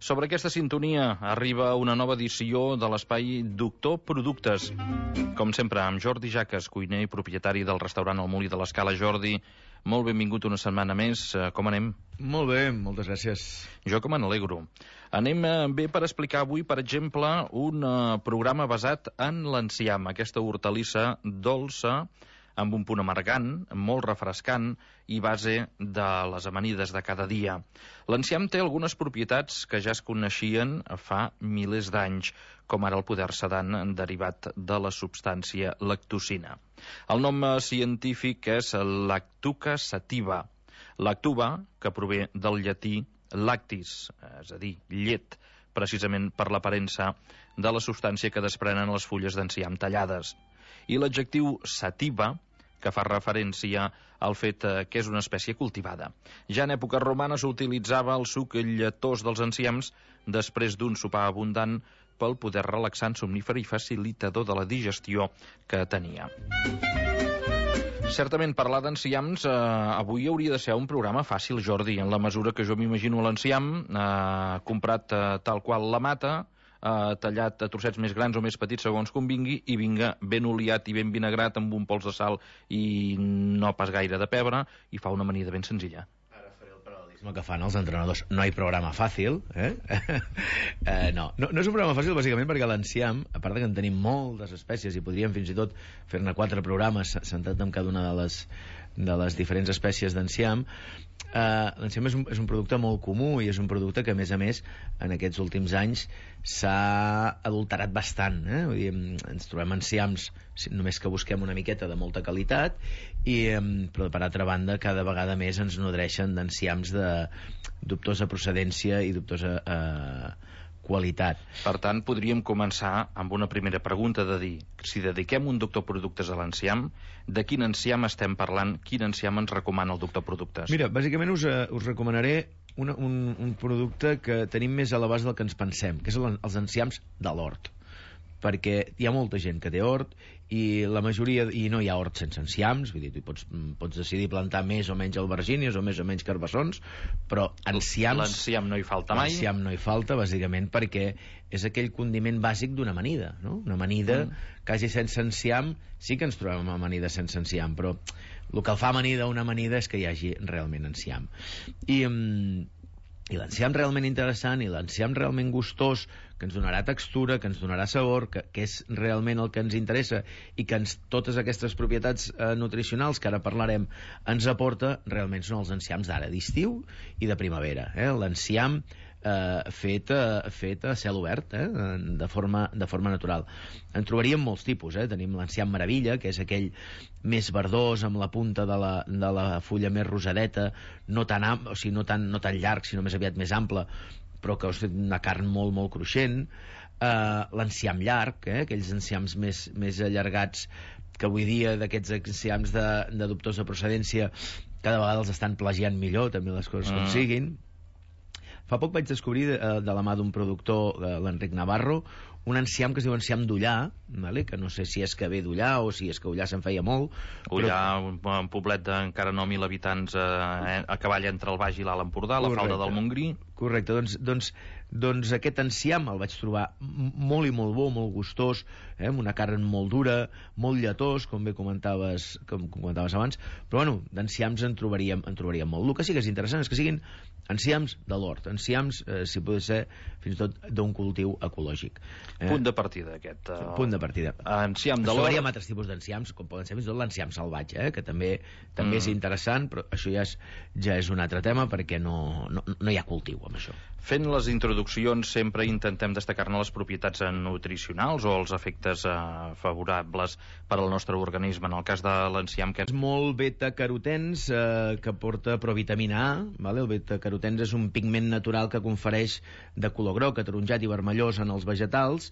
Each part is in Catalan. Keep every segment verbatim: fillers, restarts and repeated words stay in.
Sobre aquesta sintonia arriba una nova edició de l'espai Doctor Productes. Com sempre, amb Jordi Jaques, cuiner i propietari del restaurant El Molí de l'Escala. Jordi, molt benvingut una setmana més. Com anem? Molt bé, moltes gràcies. Jo que me n'alegro. Anem bé per explicar avui, per exemple, un uh, programa basat en l'enciam, aquesta hortalissa dolça, amb un punt amargant, molt refrescant i base de les amanides de cada dia. L'enciam té algunes propietats que ja es coneixien fa milers d'anys, com ara el poder sedant derivat de la substància lactocina. El nom científic és Lactuca sativa. Lactuva, que prové del llatí lactis, és a dir, llet, precisament per l'aparença de la substància que desprenen les fulles d'enciam tallades. I l'adjectiu sativa, que fa referència al fet que és una espècie cultivada. Ja en època romana s'utilitzava el suc lletós dels enciams després d'un sopar abundant pel poder relaxant, somnífer i facilitador de la digestió que tenia. Certament, parlar d'enciams eh, avui hauria de ser un programa fàcil, Jordi, en la mesura que jo m'imagino l'enciam eh, comprat eh, tal qual la mata, Uh, tallat a trossets més grans o més petits segons convingui, i vinga ben oliat i ben vinagrat amb un pols de sal i no pas gaire de pebre, i fa una amanida ben senzilla. Ara faré el paral·lelisme que fan els entrenadors. No hi ha programa fàcil, eh? uh, no. no, no és un programa fàcil bàsicament perquè l'enciam, a part de que en tenim moltes espècies i podríem fins i tot fer-ne quatre programes centrat en cada una de les, de les diferents espècies d'enciam. Uh, l'enciam és un, és un producte molt comú i és un producte que a més a més en aquests últims anys s'ha adulterat bastant, eh? Vull dir, ens trobem enciams només que busquem una miqueta de molta qualitat i, però per altra banda cada vegada més ens nodreixen d'enciams de dubtosa procedència i dubtosa uh, qualitat. Per tant, podríem començar amb una primera pregunta de dir, si dediquem un doctor productes a l'enciam, de quin enciam estem parlant, quin enciam ens recomana el doctor productes? Mira, bàsicament us, uh, us recomanaré una, un, un producte que tenim més a l'abast del que ens pensem, que és els enciams de l'hort, perquè hi ha molta gent que té hort i la majoria, i no hi ha hort sense enciams, vull dir, tu pots, pots decidir plantar més o menys albergínies o més o menys carbassons, però enciams... L'enciam no hi falta mai. L'enciam no hi falta, bàsicament, perquè és aquell condiment bàsic d'una amanida, no? Una amanida mm. quasi sense enciam, sí que ens trobem amb amanida sense enciam, però el que el fa amanida una amanida és que hi hagi realment enciam. I... Um, i l'enciam realment interessant i l'enciam realment gustós, que ens donarà textura, que ens donarà sabor, que, que és realment el que ens interessa i que ens, totes aquestes propietats eh, nutricionals que ara parlarem ens aporta, realment són els enciams d'ara, d'estiu i de primavera, eh? L'enciam eh, fet, eh, fet a cel obert, eh? de, forma, de forma natural. En trobaríem molts tipus, eh? Tenim l'enciam meravella, que és aquell més verdós amb la punta de la, de la fulla més rosadeta, no tan, am, o sigui, no tan, no tan llarg, sinó més aviat més ample, però que és una carn molt, molt cruixent. Uh, l'enciam llarg, eh? Aquells enciams més, més allargats, que avui dia d'aquests enciams de, de dubtosa procedència cada vegada els estan plagiant millor, també les coses mm. com siguin. Fa poc vaig descobrir de, de la mà d'un productor, l'Enric Navarro, un enciam que es diu enciam d'Ullà, vale? Que no sé si és que ve d'Ullà o si és que Ullà se'n feia molt. Ullà, però... un poblet d'encara no mil habitants eh, a cavall entre el Baix i l'Alt Empordà, a la falda del Montgrí. Correcte, doncs, doncs, doncs aquest enciam el vaig trobar molt i molt bo, molt gustós, eh, amb una carn molt dura, molt lletós, com bé comentaves, com comentaves abans, però bueno, d'enciams en trobaríem, en trobaríem molt. El que sí que és interessant és que siguin enciams de l'hort, enciams, eh, si pot ser, fins i tot d'un cultiu ecològic. Eh? Punt de partida, aquest. Uh, Punt de partida. Enciam de l'hort. Trobaríem altres tipus d'enciams, com poden ser fins i tot l'enciam salvatge, eh? Que també, també mm. és interessant, però això ja és, ja és un altre tema, perquè no, no, no hi ha cultiu amb això. Fent les introduccions sempre intentem destacar-ne les propietats nutricionals o els efectes eh, favorables per al nostre organisme. En el cas de l'enciam, que és molt beta-carotens, eh, que porta provitamina A, vale? El beta-carotens és un pigment natural que confereix de color groc, ataronjat i vermellós en els vegetals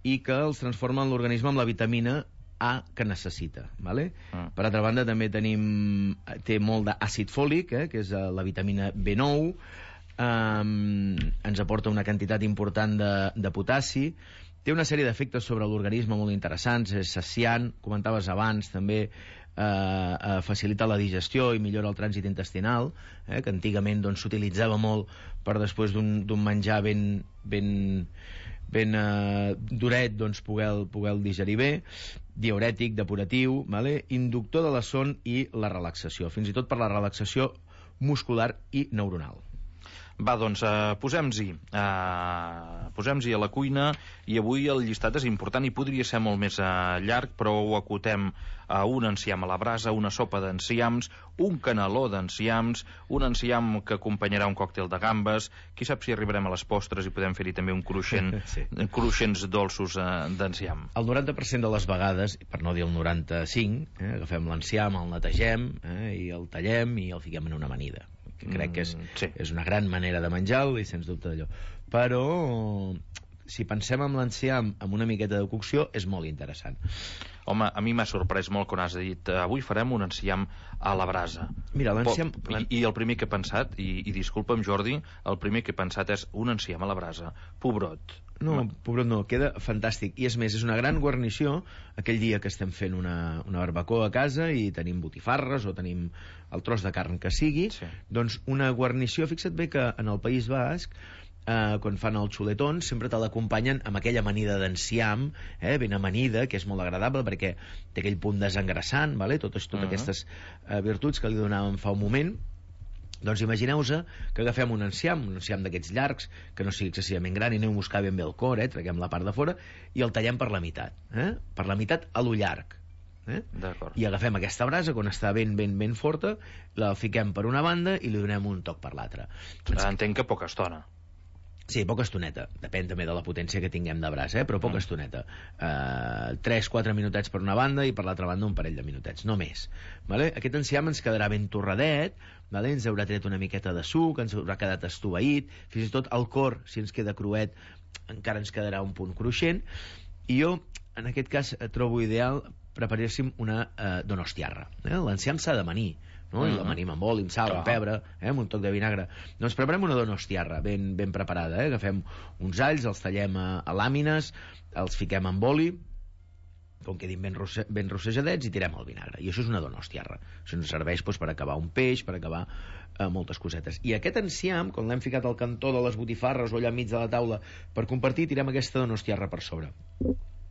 i que els transforma en l'organisme amb la vitamina A que necessita, vale? Mm. Per altra banda també tenim, té molt d'àcid fòlic, eh, que és la vitamina B nou. Um, ens aporta una quantitat important de, de potassi, té una sèrie d'efectes sobre l'organisme molt interessants, és saciant, comentaves abans també, eh, facilita la digestió i millora el trànsit intestinal, eh, que antigament doncs, s'utilitzava molt per després d'un menjar ben, ben, ben eh, duret, doncs, poder, poder digerir bé, diürètic, depuratiu, vale? Inductor de la son i la relaxació, fins i tot per la relaxació muscular i neuronal. Va, doncs, eh, posem-s'hi eh, posem-s'hi a la cuina, i avui el llistat és important i podria ser molt més eh, llarg, però ho acotem a un enciam a la brasa, una sopa d'enciams, un caneló d'enciams, un enciam que acompanyarà un còctel de gambes, qui sap si arribarem a les postres i podem fer-hi també un cruixent, sí. cruixents dolços eh, d'enciam. El noranta per cent de les vegades, per no dir el noranta-cinc, eh, agafem l'enciam, el netegem, eh, i el tallem i el fiquem en una amanida, que crec que és, sí. és una gran manera de menjar-lo i sens dubte d'allò. Però si pensem en l'enciam amb una miqueta de cocció és molt interessant. Home, a mi m'ha sorprès molt quan has dit avui farem un enciam a la brasa. Mira, l'enciam... I, I el primer que he pensat, i, i disculpa'm Jordi, el primer que he pensat és un enciam a la brasa. Pobrot. No, pobrot no, queda fantàstic. I és més, és una gran guarnició aquell dia que estem fent una, una barbacoa a casa i tenim botifarres o tenim el tros de carn que sigui, sí. Doncs una guarnició, fixa't bé que en el País Basc Uh, quan fan el xuletón sempre te l'acompanyen amb aquella amanida d'enciam, eh, ben amanida, que és molt agradable perquè té aquell punt desengrassant, vale? totes, totes uh -huh. aquestes uh, virtuts que li donàvem fa un moment. Doncs imagineu-vos que agafem un enciam, un enciam d'aquests llargs, que no sigui excessivament gran, i anem a buscar ben bé el cor, eh, traguem la part de fora i el tallem per la meitat, eh? per la meitat a lo llarg. Eh? I agafem aquesta brasa quan està ben ben ben forta, la fiquem per una banda i li donem un toc per l'altra. Entenc que poca estona. Sí, poca estoneta, depèn també de la potència que tinguem de braç, eh? però poca mm. estoneta. Uh, tres quatre minutets per una banda i per l'altra banda un parell de minutets, no més. Vale? Aquest enciam ens quedarà ben torradet, vale? Ens haurà tret una miqueta de suc, ens haurà quedat estoveït, fins i tot el cor, si ens queda cruet, encara ens quedarà un punt cruixent, i jo, en aquest cas, trobo ideal preparéssim una uh, donostiarra. Eh? L'enciam s'ha d'amanir, no? Uh -huh. I l'amanim amb oli, amb sal, amb pebre, eh? amb un toc de vinagre. Doncs preparem una donostiarra ben, ben preparada. Eh? Agafem uns alls, els tallem a, a làmines, els fiquem amb oli, com quedin ben, rosse, ben rossejadets, i tirem el vinagre. I això és una donostiarra. Això ens serveix doncs, per acabar un peix, per acabar eh, moltes cosetes. I aquest enciam, quan l'hem ficat al cantó de les botifarres o allà enmig de la taula per compartir, tirem aquesta donostiarra per sobre.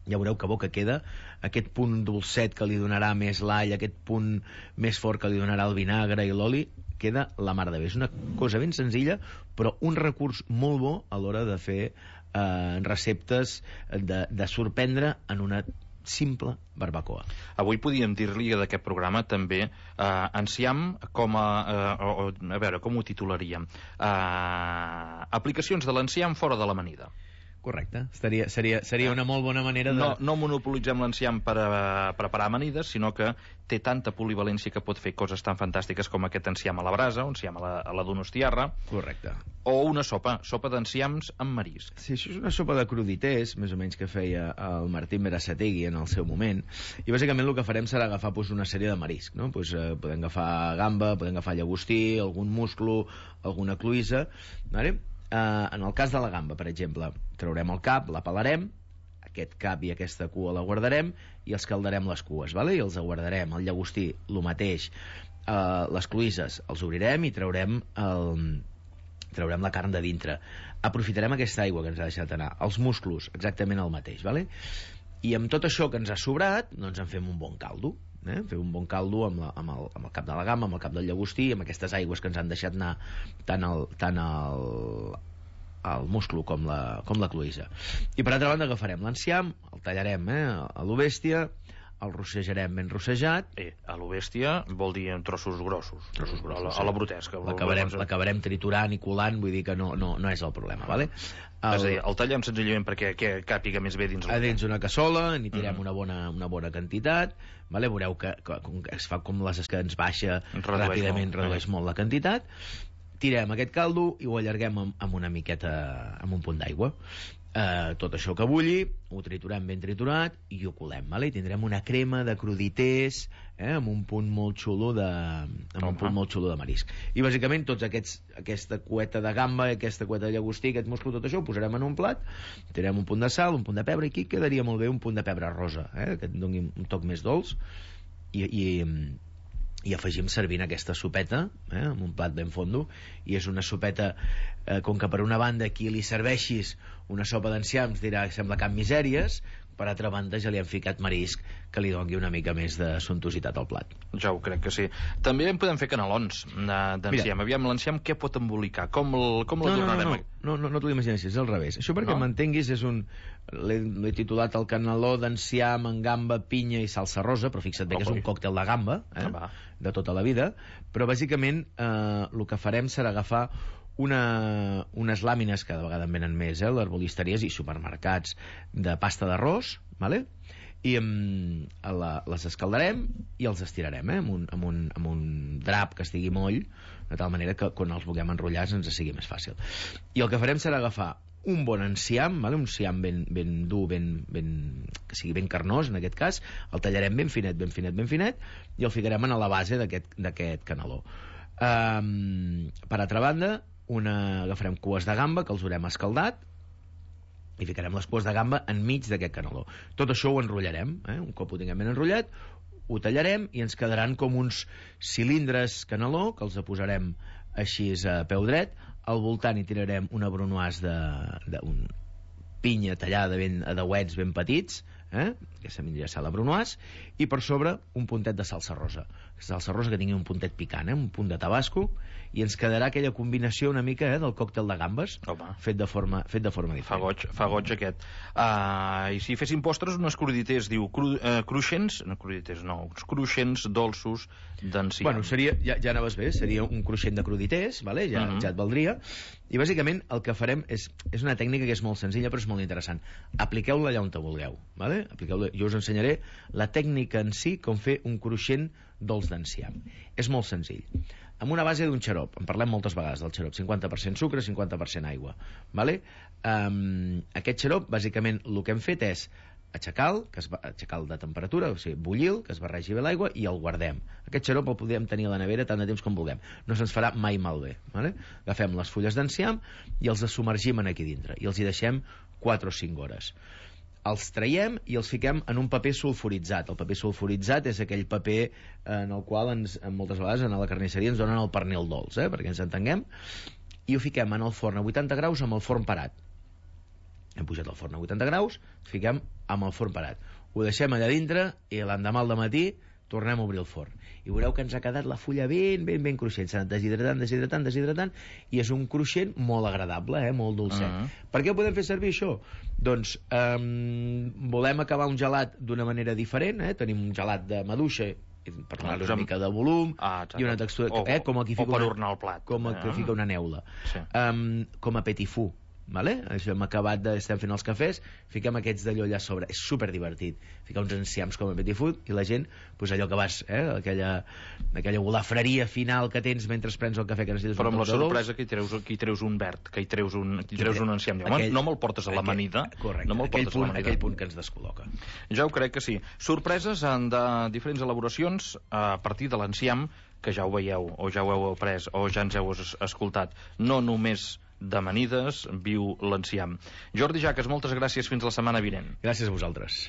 Ja veureu que bo que queda, aquest punt dolcet que li donarà més l'all, aquest punt més fort que li donarà el vinagre i l'oli, queda la mar de bé. És una cosa ben senzilla, però un recurs molt bo a l'hora de fer eh, receptes, de, de sorprendre en una simple barbacoa. Avui podíem dir-li d'aquest programa també eh, enciam com a... Eh, o, a veure, com ho titularíem? Eh, aplicacions de l'enciam fora de l'amanida. Correcte, seria, seria, seria una molt bona manera de... No, no monopolitzem l'enciam per a, preparar amanides, sinó que té tanta polivalència que pot fer coses tan fantàstiques com aquest enciam a la brasa, un enciam a la, a la donostiarra. Correcte. O una sopa, sopa d'enciams amb marisc. Sí, això és una sopa de crudités, més o menys que feia el Martín Berasategui en el seu moment, i bàsicament el que farem serà agafar pues, una sèrie de marisc, no? Pues, eh, podem agafar gamba, podem agafar llagostí, algun musclo, alguna cloïssa, vale? Uh, en el cas de la gamba, per exemple, traurem el cap, la pelarem, aquest cap i aquesta cua la guardarem i els caldarem les cues, vale? I els guardarem. El llagostí, el mateix. Uh, les cloïsses els obrirem i traurem, el... traurem la carn de dintre. Aprofitarem aquesta aigua que ens ha deixat anar. Els musclos, exactament el mateix, vale? I amb tot això que ens ha sobrat, doncs en fem un bon caldo. Eh? Fer un bon caldo amb, la, amb, el, amb el cap de la gamba, amb el cap del llagostí, amb aquestes aigües que ens han deixat anar tant el, tant el, el musclo com la, com la cloïssa. I per altra banda agafarem l'enciam, el tallarem eh, a lo bèstia, el rossejarem ben rossejat. Eh, a lo bèstia vol dir en trossos grossos, trossos grossos a, la, a la brutesca. L'acabarem triturant i colant, vull dir que no, no, no és el problema, vale? El... És a dir, el tallem senzillament perquè que càpiga més bé dins a dins una cassola, n'hi tirem mm. una, bona, una bona quantitat, vale? Veureu que, que, que es fa com les que ens baixa redueix ràpidament, molt. redueix molt la quantitat. Tirem aquest caldo i ho allarguem amb, amb una miqueta, amb un punt d'aigua. Uh, tot això que bulli, ho triturem ben triturat i ho colem, vale? I tindrem una crema de crudités eh, amb un punt molt xulo de amb un punt molt xulo de marisc. I bàsicament tots aquests, aquesta cueta de gamba, aquesta cueta de llagostí, aquest musclo, tot això ho posarem en un plat, tirem un punt de sal, un punt de pebre, i aquí quedaria molt bé un punt de pebre rosa, eh, que et doni un toc més dolç, i, i, i afegim servint aquesta sopeta, eh, amb un plat ben fondo, i és una sopeta, eh, com que per una banda qui li serveixis una sopa d'enciams dirà que sembla cap misèries, per altra banda ja li han ficat marisc que li doni una mica més de sumptuositat al plat. Ja ho crec que sí. També en podem fer canelons d'enciam. Aviam, l'enciam què pot embolicar? Com l'adornarem? No, no, no, no, no t'ho imagines, és al revés. Això perquè m'entenguis és un... L'he titulat el caneló d'enciam amb gamba, pinya i salsa rosa, però fixa't bé que és un còctel de gamba, eh, de tota la vida, però bàsicament eh, el que farem serà agafar Una, unes làmines, que de vegades en venen més, eh, l'herbolisteries i supermercats, de pasta d'arròs, vale? I um, la, les escaldarem i els estirarem, eh, amb, un, amb, un, amb un drap que estigui moll, de tal manera que quan els vulguem enrotllar ens sigui més fàcil. I el que farem serà agafar un bon enciam, vale? Un enciam ben, ben dur, ben, ben, que sigui ben carnós en aquest cas, el tallarem ben finet, ben finet, ben finet, i el ficarem a la base d'aquest caneló. Um, per altra banda, una, agafarem cues de gamba que els haurem escaldat i ficarem les cues de gamba enmig d'aquest caneló. Tot això ho enrotllarem, eh? Un cop ho tinguem ben enrotllat, ho tallarem i ens quedaran com uns cilindres caneló que els posarem així a peu dret. Al voltant hi tirarem una brunoise de, de un pinya tallada ben, a dauets ben petits, eh? Aquesta mitja la brunoise, i per sobre un puntet de salsa rosa, salsa rosa que tingui un puntet picant, eh? Un punt de tabasco, i ens quedarà aquella combinació una mica, eh, del còctel de gambes. Home. fet de forma, fet de forma diferent. Fa goig, fa goig aquest. Uh, I si féssim postres, unes cruditers, diu, cru, uh, cruixents, no cruditers, no, uns cruixents dolços d'enciam. Bueno, seria, ja, ja anaves bé, seria un cruixent de cruditers, vale? ja, uh -huh. ja et valdria. I bàsicament el que farem és, és una tècnica que és molt senzilla però és molt interessant. Apliqueu-la allà on te vulgueu, vale? Apliqueu-la. Jo us ensenyaré la tècnica en si, com fer un cruixent dolç d'enciam. És molt senzill. Amb una base d'un xarop, en parlem moltes vegades del xarop, cinquanta per cent sucre, cinquanta per cent aigua, vale? Um, aquest xarop, bàsicament, el que hem fet és aixecar-lo, que es va, aixecar-lo de temperatura, o sigui, bullir-lo, que es barregi bé l'aigua, i el guardem. Aquest xarop el podem tenir a la nevera tant de temps com vulguem. No se'ns farà mai malbé, vale? Agafem les fulles d'enciam i els submergim aquí dintre, i els hi deixem quatre o cinc hores. Els traiem i els fiquem en un paper sulfuritzat. El paper sulfuritzat és aquell paper en el qual ens, moltes vegades en la carnisseria ens donen el pernil dolç, eh, perquè ens entenguem, i ho fiquem en el forn a vuitanta graus amb el forn parat. Hem pujat el forn a vuitanta graus, fiquem amb el forn parat. Ho deixem allà dintre i l'endemà al dematí tornem a obrir el forn. I veureu que ens ha quedat la fulla ben, ben, ben cruixent. S'ha anat deshidratant, deshidratant, deshidratant, i és un cruixent molt agradable, eh? Molt dolcet. Uh -huh. Per què ho podem fer servir, això? Doncs um, volem acabar un gelat d'una manera diferent, eh? Tenim un gelat de maduixa, per donar-li una mica de volum, ah, i una textura, o, eh? com aquí fica o per una, ornar el plat. Com eh? que fica una neula. Sí. Um, com a petit fou. Vale? Això hem acabat de, estem fent els cafès, fiquem aquests d'allò allà a sobre, és super divertit, ficar uns enciams com a petit food i la gent, pues allò que vas, eh, aquella, aquella golafreria final que tens mentre prens el cafè que necessites. Però amb la sorpresa que hi treus, que hi treus un verd, que hi treus un, que hi treus un enciam, aquell, no me'l portes a l'amanida, aquell, correcte, no me'l aquell, portes punt, a l'amanida. Aquell punt que ens descol·loca. Ja ho crec que sí. Sorpreses de diferents elaboracions a partir de l'enciam, que ja ho veieu, o ja ho heu après, o ja ens heu escoltat, no només d'amanides, viu l'enciam. Jordi Jaques, moltes gràcies, fins la setmana vinent. Gràcies a vosaltres.